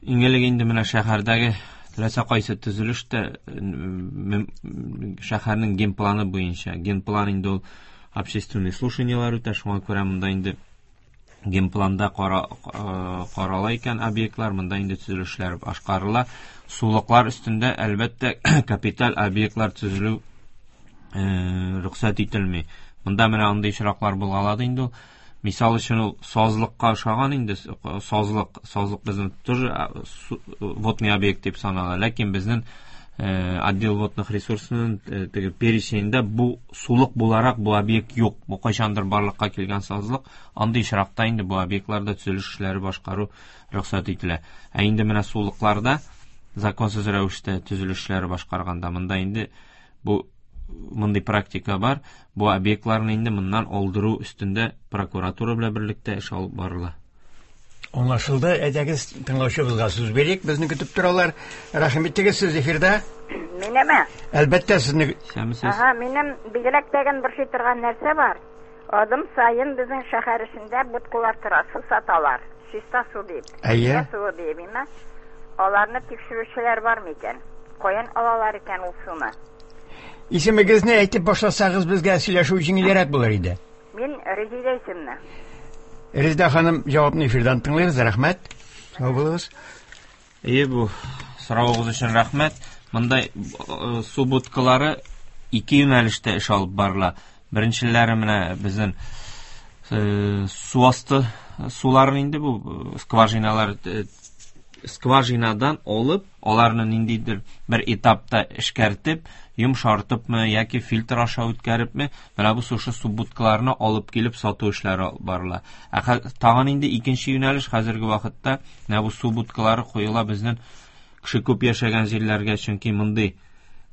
Иң элек инде менә шәһәрдәге теләсә кайсы төзелеш тә шәһәрнең генпланы буенча. Генплан инде ул общественный слушаниелар үтә, шуңа күрә монда инде генпланда карала икән объектлар, монда инде төзелешләр башкарыла. Сулыклар өстендә әлбәттә капиталь объектлар төзелү рөхсәт ителми. Монда менә андый очраклар булгалады инде ул. Мисал өчен ул сазлыкка ошаган инде, сазлык безнең тоже водный объект дип санала, ләкин безнең отдел водных ресурсының теге переченендә бу сулык буларак бу объект юк. Бу кайчандыр барлыкка килгән сазлык. Андый очракта инде бу объектларда төзелеш эшләре башкару рөхсәт ителә. Ә инде менә сулыкларда законсыз рәвештә төзелеш эшләре башкарганда монда инде Бу мондый практика бар. Бу объектларны инде моннан алдыру өстендә прокуратура белән берлектә эш алып барыла. Аңлашылды. Әйдәгез, тыңлаучыбызга сүз бирик. Безне көтеп торалар. Рәхим итегез, сез эфирда. Минеме? Әлбәттә, сезне. Исәнмесез. Ага, минем бигрәк тәген борчый торган нәрсә бар. Адым саен безнең шәһәр эчендә будкалар тора, су саталар. Чиста су дип. Әйе. Чиста суы дип, име? Аларны тикшерүчеләр бар микән? Каян алалар икән ул суны? Исемегезне әйтеп башласагыз, безгә сөйләшү җиңелрәк булыр иде. Мин Резидә исемле. Резидә ханым, җавапны эфирдан тыңлыйбыз. Рәхмәт. Сау булыгыз. Әйе, бу соравыгыз өчен рәхмәт. Монда су будкалары ике юнәлештә эш алып барыла. Беренчеләре менә безнең су асты суларын инде бу скважиналар скважинадан алып, аларны ниндидер бер этапта эшкәртеп, йомшартыпмы яки фильтр аша үткәрепме, менә бу шушы су будкаларны алып килеп сату эшләре алып барыла. Ә тагын инде икенче юнәлеш хәзерге вакытта менә бу су будкалары куела безнең кеше күп яшәгән җирләргә, чөнки мондый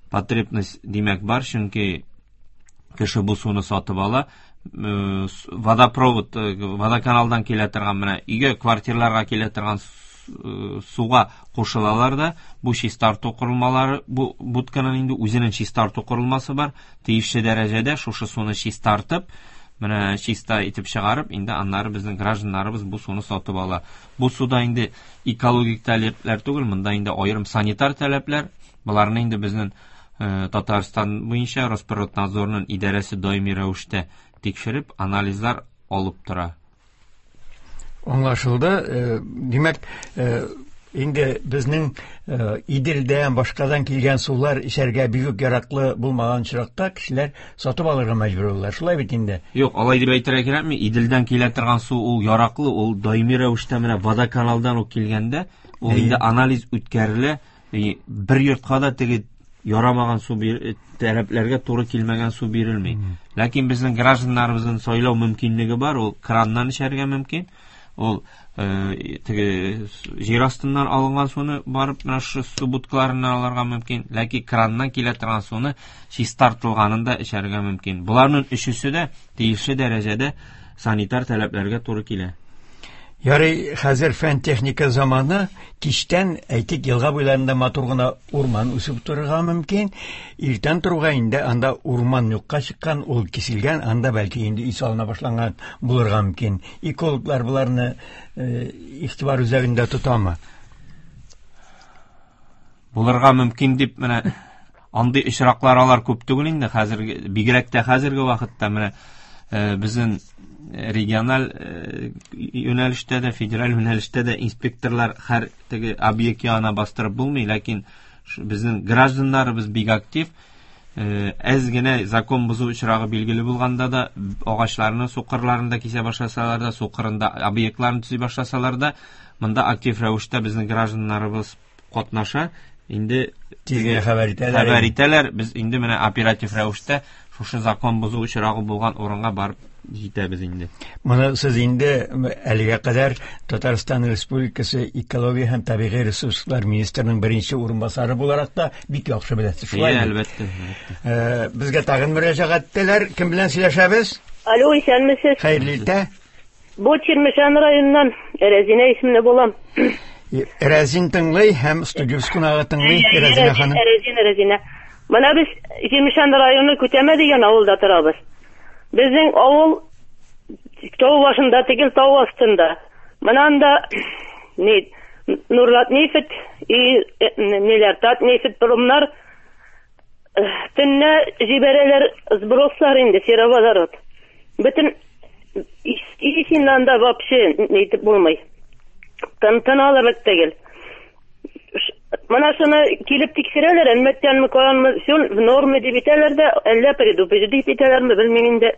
потребность димәк бар, чөнки кеше бу суны сатып ала. Водопровод, водоканалдан килә торган менә өйгә, квартираларга килә торган суга кушылалар да, бу чистарту корылмалары, бу будканың инде үзенең чистарту корылмасы бар, тиешле дәрәҗәдә шушы суны чистартып, менә чиста итеп чыгарып, инде аннары безнең гражданнарыбыз бу суны сатып ала. Бу суда инде экологик таләпләр түгел, монда инде аерым санитар таләпләр. Боларны инде безнең Татарстан буенча Росприроднадзорның идарәсе даими рәвештә тикшереп, анализлар алып тора. Аңлашылды. Димәк, инде безнең Иделдән, башкадан килгән сулар эчәргә бик үк яраклы булмаган очракта кешеләр сатып алырга мәҗбүр булалар. Шулай бит инде? Юк, алай дип әйтергә кирәкми. Иделдән килә торган су ул яраклы, ул даими рәвештә менә водоканалдан ук килгәндә, ул инде анализ үткәрелә. Бер йортка да теге ярамаган су таләпләргә туры килмәгән су бирелми. Ләкин безнең гражданнарыбызның сайлау мөмкинлеге бар, ул краннан эчәргә мөмкин. Ул теге җир астыннан алынган суны барып менә шушы су будкаларыннан алырга мөмкин, ләкин краннан килә торган суны чистартылганын да эчәргә мөмкин. Боларның өчесе дә тиешле дәрәҗәдә санитар таләпләргә туры килә. Ярый, хәзер фән техника заманы, кичтән, әйтик, елга буйларында матур гына урман үсеп торырга мөмкин. Иртән торуга инде анда урман юкка чыккан, ул киселгән, анда бәлки инде өй салына башланган булырга мөмкин. Экологлар боларны игътибар үзәгендә тотамы? Булырга мөмкин дип менә андый очраклар алар күп түгел инде хәзерге, бигрәк тә хәзерге вакытта менә безнең региональ юнәлештә дә, федераль юнәлештә дә инспекторлар һәр теге объект янына бастырып булмый, ләкин безнең гражданнарыбыз бик актив. Әз генә закон бозу очрагы билгеле булганда да, агачларны су кырларында кисә башласалар да, су кырында объектларны төзи башласалар да, монда актив рәвештә безнең гражданнарыбыз катнаша. Инде Тиз генә хәбәр итәләр. Хәбәр итәләр. Без инде менә оператив рәвештә шушы закон бозу очрагы булган урынга барып җитәбез инде. Моны сез инде әлегә кадәр Татарстан Республикасы экология һәм табигый ресурслар министрының беренче урынбасары буларак та бик яхшы беләсез. Шулай Әйе, әлбәттә, әлбәттә. Безгә тагын мөрәҗәгать итәләр. Кем белән сөйләшәбез? Алло, исәнмесез. Хәерле иртә. Бу Чирмешән районыннан Рәзинә исемле булам. Рәзин тыңлый һәм студия кунагы тыңлый. Рәзинә ханым. Рәзинә, Рәзинә. Менә без Чирмешән районы Күтәмә дигән авылда торабыз. Безнең авыл тау башында түгел, тау астында. Менә анда ни Нурлат нефть и ниләр, Татнефть промнар төнлә җибәрәләр сброслар инде сероводород. Бөтен исеннән дә вообще нитеп булмый. Тын алырлык түгел. Менә шуны килеп тикшерәләр, әлмәттәнме, каянмы, все в норме дип итәләр дә, әллә предупредить итәләрме, белмим инде.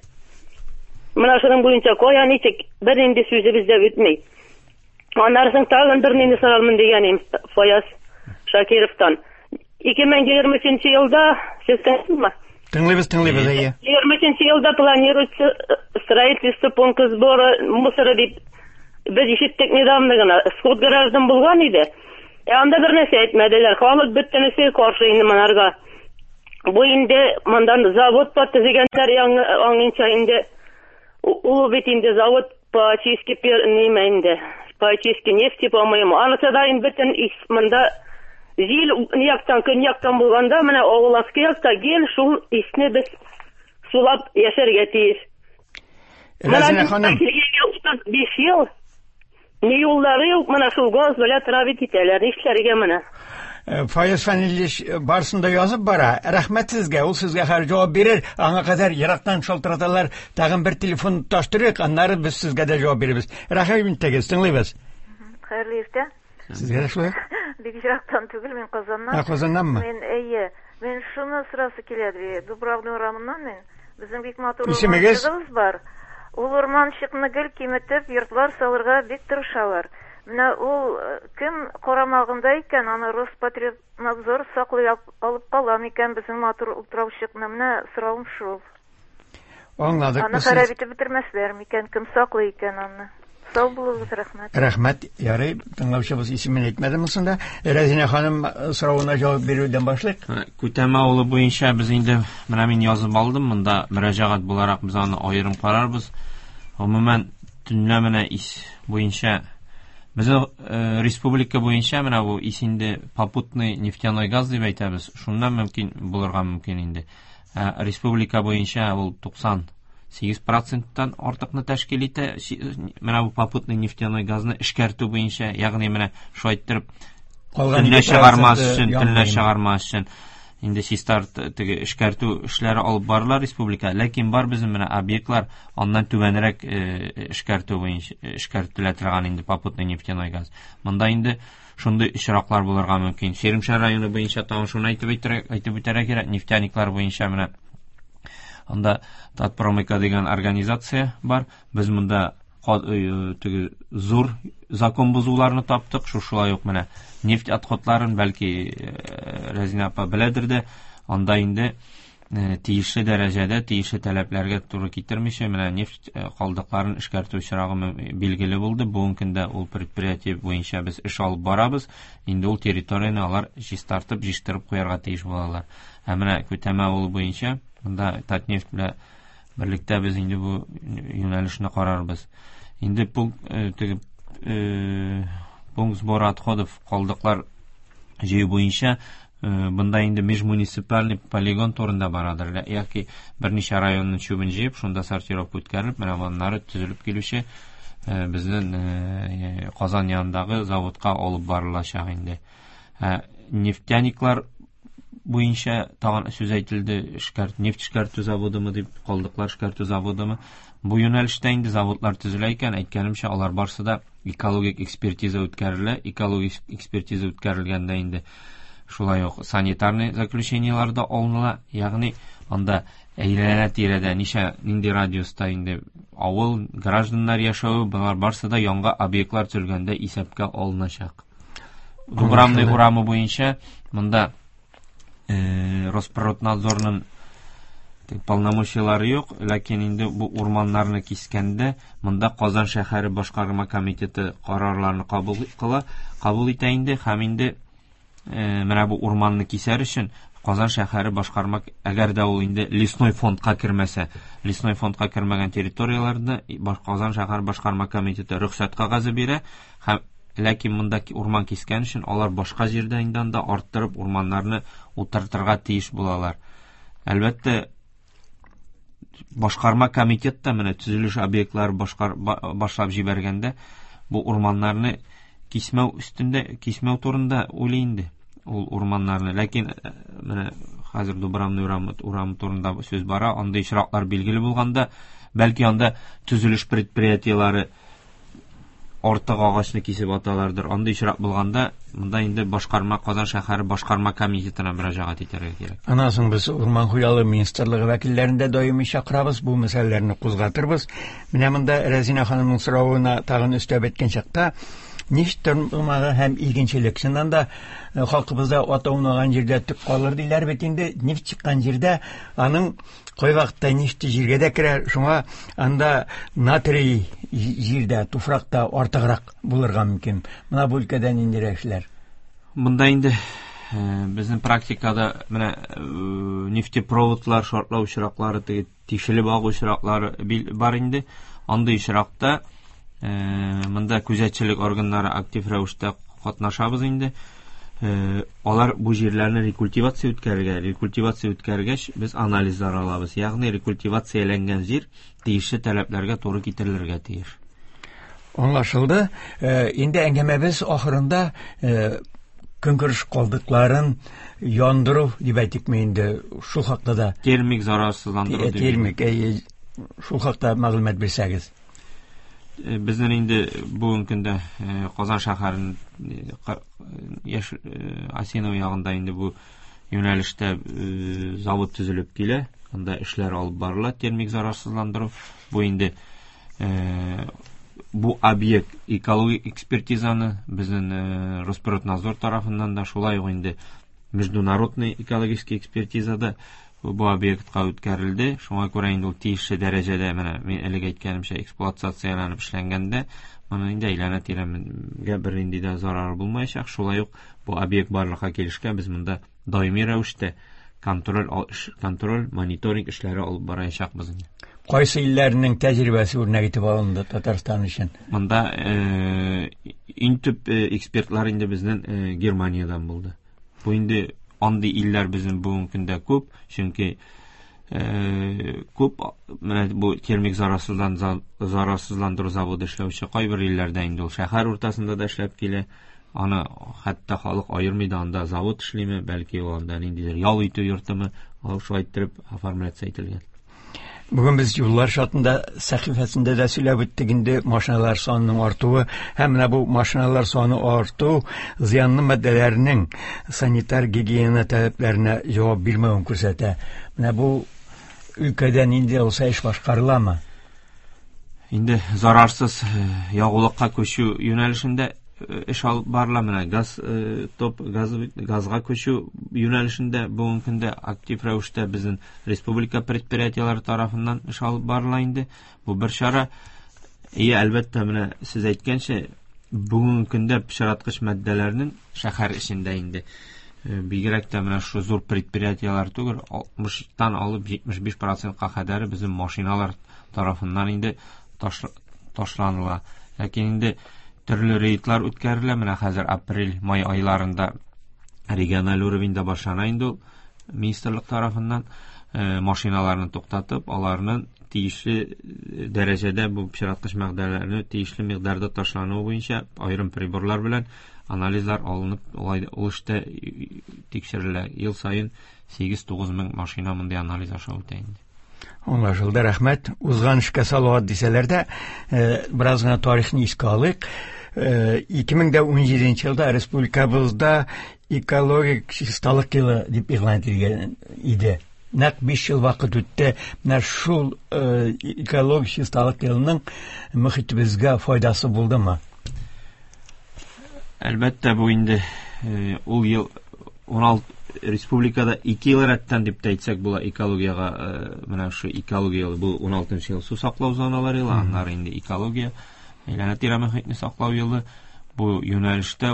Менә шуның буенча кая ничек, бернинди сүзебез дә үтми. Аннары соң тагын бернинди сорармын дигән Фаяз Шакировтан. 2023 елда, сез тыңлыйсызмы? Тыңлыйбыз, тыңлыйбыз, әйе. 23 елда планируется строительство пункта сбора мусора дип без ишеттек недавно гына. Сход граждан булган иде. Ә анда бер нәрсә әйтмәделәр. Халык бөтенесе каршы инде монарга. Бу инде мондан завод бар төзегәннәр яңа аңынча инде. Ул бит инде завод по очистке ниме инде, по очистке нефти, по-моему. Анысы да инде бөтен ис монда җил яктан, көньяктан булганда, менә авыл аскы якта гел шул исне без сулап яшәргә тиеш. Рәзинә ханым. Килгәнгә 35 ел. Ни юллары юк, менә шул газ белән травить итәләр. Нишләргә менә? Фаяз Фәнилевич барысын да язып бара. Рәхмәт сезгә, ул сезгә хәзер җавап бирер. Аңа кадәр ерактан шалтыраталар. Тагын бер телефон таштырыйк, аннары без сезгә дә җавап бирербез. Рәхим итегез, тыңлыйбыз. Хәерле иртә. Сезгә дә шулай? Бик ерактан түгел, мин Казаннан. Ә, Казаннанмы? Мин, әйе. Мин шуны сорасы килә, Дубравный урамыннан мин. Безнең бик матур Исемегез? урманчыгыбыз бар. Ул урманчыкны гел киметеп, йортлар салырга бик тырышалар. Менә ул кем карамагында икән, аны Роспотребнадзор саклый алып кала микән безнең матур утраучыкны? Менә соравым шул. Аңладык. Аны харап итеп бетермәсләр микән? Кем саклый икән аны? Сау булыгыз, рәхмәт. Рәхмәт. Ярый, тыңлаучыбыз исемен әйтмәде монсында. Рәзинә ханым соравына җавап бирүдән башлыйк. Күтәмә авылы буенча без инде менә мин язып алдым, монда мөрәҗәгать буларак без аны аерым карарбыз. Гомумән, төнлә менә ис буенча безнең республика буенча менә бу ис инде попутный нефтяной газ дип әйтәбез. Шуннан мөмкин булырга мөмкин инде. Республика буенча ул 98%-тан артыкны тәшкил итә. Менә бу попутный нефтяной газны эшкәртү буенча, ягъни менә шулай иттереп төнлә чыгармас өчен, төнлә чыгармас өчен инде чистарт теге эшкәртү эшләре алып барыла республика. Ләкин бар безнең менә объектлар аннан түбәнрәк эшкәртү буенча эшкәртелә торган инде попутный нефтяной газ. Монда инде шундый очраклар булырга мөмкин. Чирмешән районы буенча тагын шуны әйтеп үтәргә кирәк, нефтяниклар буенча менә анда Татпромыйка дигән организация бар. Без монда теге зур закон бозуларны таптык. Шушылай ук менә нефть отходларын, бәлки Рәзинә апа беләдер дә, анда инде тиешле дәрәҗәдә, тиешле таләпләргә туры китермичә менә нефть калдыкларын эшкәртү очрагы билгеле булды. Бүгенге көндә ул предприятие буенча без эш алып барабыз. Инде ул территорияне алар чистартып, җыештырып куярга тиеш булалар. Ә менә Күтәмә авылы буенча монда Татнефть белән берлектә без инде бу юнәлешне карарбыз. Инде пункт теге пункт сбора отходов калдыклар җыю буенча бында инде межмуниципальный полигон турында барадыр. Яки берничә районның чүбен җыеп, шунда сортировка үткәрелеп, менә моннары төзелеп килүче безнең Казан янындагы заводка алып барылачак инде. Нефтяниклар буенча тагын сүз әйтелде, нефть эшкәртү заводымы дип, калдыклар эшкәртү заводымы. Бу юнәлештә инде заводлар төзелә икән, әйткәнемчә, алар барсы да экологик экспертиза үткәрелә. Экологик экспертиза үткәрелгәндә инде шулай ук санитарный заключениелар да алыныла, ягъни анда әйләнә-тирәдә ничә, нинди радиуста инде авыл, гражданнар яшәве, болар барсы да яңа объектлар төзелгәндә исәпкә алыначак. Дубравный урамы буенча монда Росприроднадзорның полномочиялары юк, ләкин инде бу урманнарны кискәндә монда Казан шәһәре башкарма комитеты карарларны кабул кыла, кабул итә инде, һәм инде менә бу урманны кисәр өчен Казан шәһәре башкарма, әгәр дә ул инде лесной фондка кермәсә, лесной фондка кермәгән территорияләрдә Казан шәһәре башкарма комитеты рөхсәт кәгазе бирә, һәм ләкин монда урман кискән өчен алар башка җирдә инде анда арттырып урманнарны утыртырга тиеш булалар. Әлбәттә, башкарма комитет та менә төзелеш объектлары башлап җибәргәндә бу урманнарны кисмәү өстендә, кисмәү турында уйлый инде ул урманнарны. Ләкин менә хәзер Дубравный урамы турында сүз бара, андый очраклар билгеле булганда, бәлки анда төзелеш предприятиеләре артык агачны кисеп аталардыр. Андый очрак булганда, монда инде башкарма, Казан шәһәре башкарма комитетына мөрәҗәгать итәргә кирәк. Аннан соң без Урман хуҗалыгы министрлыгы вәкилләрен дә даими чакырабыз, бу мәсьәләләрне кузгатырбыз. Менә монда Рәзинә ханымның соравына тагын өстәп әйткән чакта, нефть тармагы һәм игенчелек. Чыннан да халкыбызда ат аунаган җирдә төк калыр диләр бит инде. Нефть чыккан җирдә аның кайвакытта нефть җиргә дә керә, шуңа анда натрий җирдә, туфракта артыграк булырга мөмкин. Менә бу өлкәдә ниндирәк эшләр? Монда инде Безнең практикада менә нефтепроводлар шартлау очраклары, теге тишелеп агу очраклары бар инде. Андый очракта монда күзәтчелек органнары актив рәвештә катнашабыз инде. Алар бу җирләрне рекультивация үткәрергә, рекультивация үткәргәч, без анализлар алабыз. Ягъни рекультивацияләнгән җир тиешле таләпләргә туры китерелергә тиеш. Аңлашылды. Инде әңгәмәбез ахырында көнкүреш калдыкларын яндыру дип әйтикме инде, шул хакта да. Термик зарарсызландыру дип. Термик, шул хакта мәгълүмат бирсәгез. Безнең инде бүгенге көндә Казан шәһәренең яшь Осиново ягында инде бу юнәлештә завод төзелеп килә. Анда эшләр алып барыла, термик зарарсызландыру. Бу инде бу объект экологик экспертизаны безнең Росприроднадзор тарафыннан да, шулай ук инде международный экологический экспертизада бу объектка үткәрелде. Шуңа күрә инде ул тиешле дәрәҗәдә, менә мин элек әйткәнемчә, эксплуатацияләнеп эшләнгәндә, моның инде әйләнә-тирәгә бернинди дә зарары булмаячак. Шулай ук бу объект барлыкка килешкә без монда даими рәвештә контроль, мониторинг эшләре алып барачакбыз инде. Кайсы илләрнең тәҗрибәсе үрнәк итеп алынды Татарстан өчен? Монда иң төп экспертлар инде безнең Германиядән булды. Бу инде андый илләр безнең бүгенге көндә күп, чөнки күп менә бу термик зарарсызландыру заводы эшләүче кайбер илләрдә инде ул шәһәр уртасында да эшләп килә. Аны хәтта халык аермый да, анда завод эшлиме, бәлки ул анда ниндидер ял итү йортымы, ул шулай иттереп оформляция ителгән. Бүген без юллар шартында сәхифәсендә дә сөйләп үттек инде машиналар санының артуы һәм менә бу машиналар саны арту зыянлы матдәләрнең санитар гигиена таләпләренә җавап бирмәвен күрсәтә. Менә бу өлкәдә нинди булса эш башкарыламы? Инде зарарсыз ягулыкка күчү юнәлешендә эш алып барыла. Менә газ топ газга күчү юнәлешендә бүгенге көндә актив рәвештә безнең республика предприятиеләре тарафыннан эш алып барыла инде. Бу бер чара. И әлбәттә, менә сез әйткәнчә, бүгенге көндә пычраткыч матдәләрнең шәһәр эчендә инде бигрәк тә менә шу зур предприятиеләр түгел, 60-тан алып 75%-ка кадәр безнең машиналар тарафыннан инде ташланыла. Ләкин инде төрле рейдлар үткәрелә. Менә хәзер апрель, май айларында региональ уровеньда башлана инде ул министрлык тарафыннан машиналарны туктатып, аларның тиешле дәрәҗәдә бу пычраткыч матдәләрне тиешле микъдарда ташлануы буенча аерым приборлар белән анализлар алынып, ул эштә тикшерелә. Ел саен 8-9 мең машина мондый анализ аша үтә инде. Аңлашылды, рәхмәт. Узган эшкә салават дисәләр дә, бераз гына тарихны искә алыйк. 2017 елда республикабызда экологик чисталык елы дип игълан ителгән иде. Нәкъ 5 ел вакыт үтте. Менә шул экологик чисталык елының мөхитебезгә файдасы булдымы? Әлбәттә, бу инде ул ел 16 республикада 2 ел рәттән дип тә әйтсәк була экологиягә, менә шу экология елы, бу 16 ел су саклау зоналары елы, аннары инде экология, әйләнә-тирә мөхитне саклау елы. Бу юнәлештә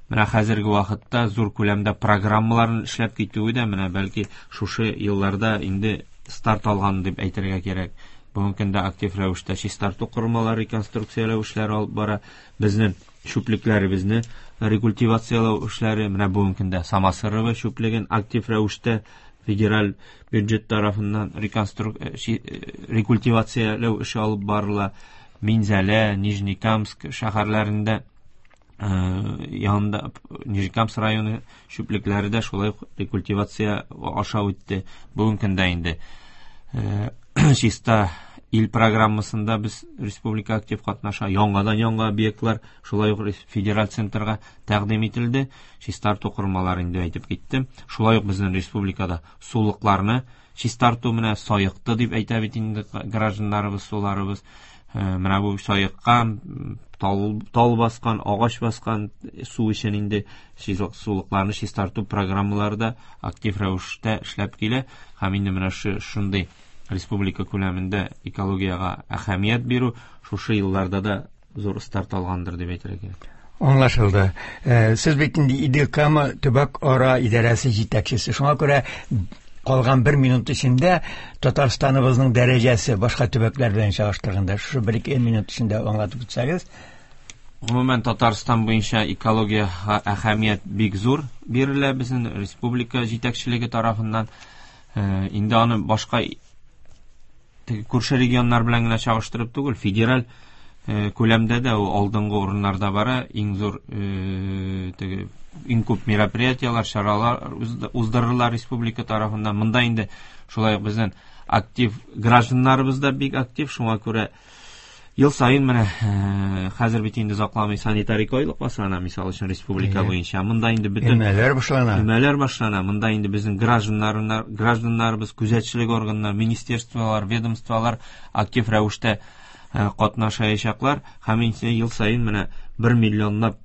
менә хәзерге вакытта зур күләмдә программаларын эшләп китүе дә менә бәлки шушы елларда инде старт алган дип әйтергә кирәк. Бүгенге көндә актив рәвештә чистарту корылмалары реконструкцияләү эшләре алып бара. Безнең чүплекләребезне рекультивацияләү эшләре, менә бүгенге көндә Самосырово чүплеген актив рәвештә федераль бюджет тарафыннан рекультивацияләү эше алып барыла. Минзәлә, Нижнекамск шәһәрләрендә, янында Нижнекамск районы чүплекләре дә шулай ук рекультивация аша үтте. Бүгенге көндә инде чиста ил программасында без республика актив катнаша. Яңадан яңа объектлар шулай ук федераль центрга тәкъдим ителде. Чистарту корылмалары инде әйтеп киттем. Шулай ук безнең республикада сулыкларны чистарту менә саекты дип әйтә бит инде гражданнарыбыз, суларыбыз. Менә бу саеккан, тал баскан, агач баскан су өчен инде сулыкларны чистарту программалары да актив рәвештә эшләп килә. Һәм инде менә шундый республика күләмендә экологиягә әһәмият бирү шушы елларда да зур старт алгандыр дип әйтергә кирәк. Аңлашылды. Сез бит инде Идел Кама төбәк ара идарәсе җитәкчесе. Шуңа күрә калган бер минут эчендә Татарстаныбызның дәрәҗәсе башка төбәкләр белән чагыштырганда шушы бер-ике минут эчендә аңлатып үтсәгез. Гомумән, Татарстан буенча экологиягә әһәмият бик зур бирелә безнең республика җитәкчелеге тарафыннан. Инде аны башка теге күрше регионнар белән генә чагыштырып түгел, федераль күләмдә дә ул алдынгы урыннарда бара, иң зур теге иң күп мероприятиеләр, чаралар уздырыла республика тарафыннан. Монда инде шулай ук безнең актив гражданнарыбыз да бик актив, шуңа күрә ел саен менә хәзер бит инде озакламый санитар айлык башлана, мисал өчен, республика буенча. Монда инде бөтен өмәләр башлана. Өмәләр башлана. Монда инде безнең гражданнарыбыз, күзәтчелек органнары, министерстволар, ведомстволар актив рәвештә катнашачаклар. Һәм инде ел саен менә 1 миллионлап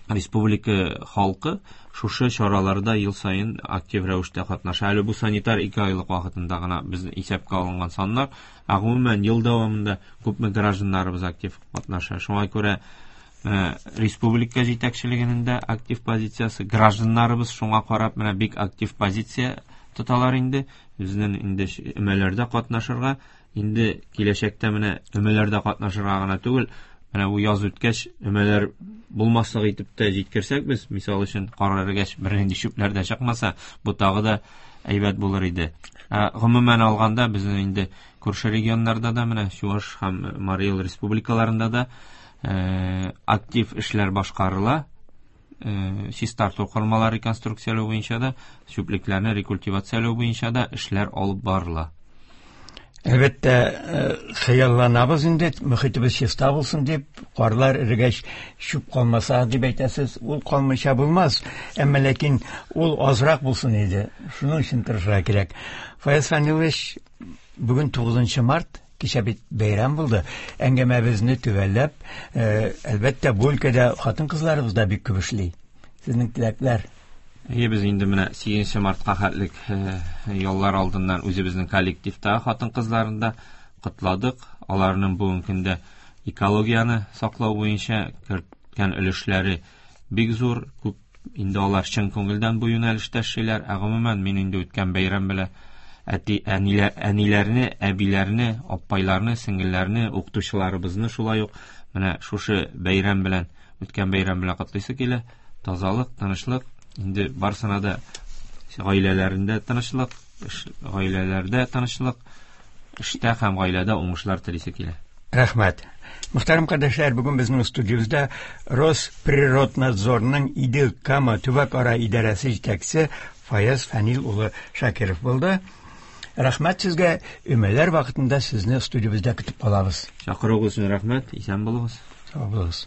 республика халкы шушы чараларда ел саен актив рәвештә катнаша. Әле бу санитар 2 айлык вакытында гына без исәпкә алынган саннар, ә гомумән ел дәвамында күпме гражданнарыбыз актив катнаша. Шуңа күрә республика җитәкчелегенең дә актив позициясе, гражданнарыбыз шуңа карап менә бик актив позиция тоталар инде. Безнең инде өмәләрдә катнашырга, инде киләчәктә менә өмәләрдә катнашырга гына түгел, менә бу яз үткәч өмәләр булмаслык итеп тә җиткерсәк без, мисал өчен, кар эрегәч бернинди чүпләр дә чыкмаса, бу тагы да әйбәт булыр иде. Гомумән алганда безнең инде күрше регионнарда да, менә Чуаш һәм Марий Эл республикаларында да актив эшләр башкарыла. Чистарту корылмалары реконструкцияләү буенча да, чүплекләрне рекультивацияләү буенча да эшләр алып барыла. Әлбәттә, хыялланабыз инде, мөхитебез чиста булсын дип, карлар эрегәч чүп калмаса дип әйтәсез, ул калмыйча булмас. Әмма ләкин ул азрак булсын иде. Шуның өчен тырышырга кирәк. Фаяз Фанилович, бүген 9 март, кичә бит бәйрәм булды. Әңгәмәбезне төгәлләп, әлбәттә, бу өлкәдә хатын-кызларыбыз да бик күп эшли. Сезнең теләкләр? Әйе, без инде менә 8 мартка хәтлек яллар алдыннан үзебезнең коллективта хатын-кызларын да котладык. Аларның бүгенге көндә экологияне саклау буенча керткән өлешләре бик зур, күп. Инде алар чын күңелдән бу юнәлештә эшлиләр. Ә гомумән, мин инде үткән бәйрәм белән әти, әниләрне, әбиләрне, аппайларны, сеңелләрне, укытучыларыбызны шулай ук менә шушы бәйрәм белән, үткән бәйрәм белән котлыйсы килә. Тазалык, тынычлык, инде барсына да гаиләләрендә тынычлык, гаиләләрдә тынычлык, эштә һәм гаиләдә уңышлар телисе килә. Рәхмәт. Мөхтәрәм кардәшләр, бүген безнең студиябездә Росприроднадзорның Идел Кама төбәк-ара идарәсе җитәкчесе Фаяз Фәнил улы Шакиров булды. Рәхмәт сезгә, өмәләр вакытында сезне студиябездә көтеп калабыз. Чакыруыгыз өчен рәхмәт, исән булыгыз. Сау булыгыз.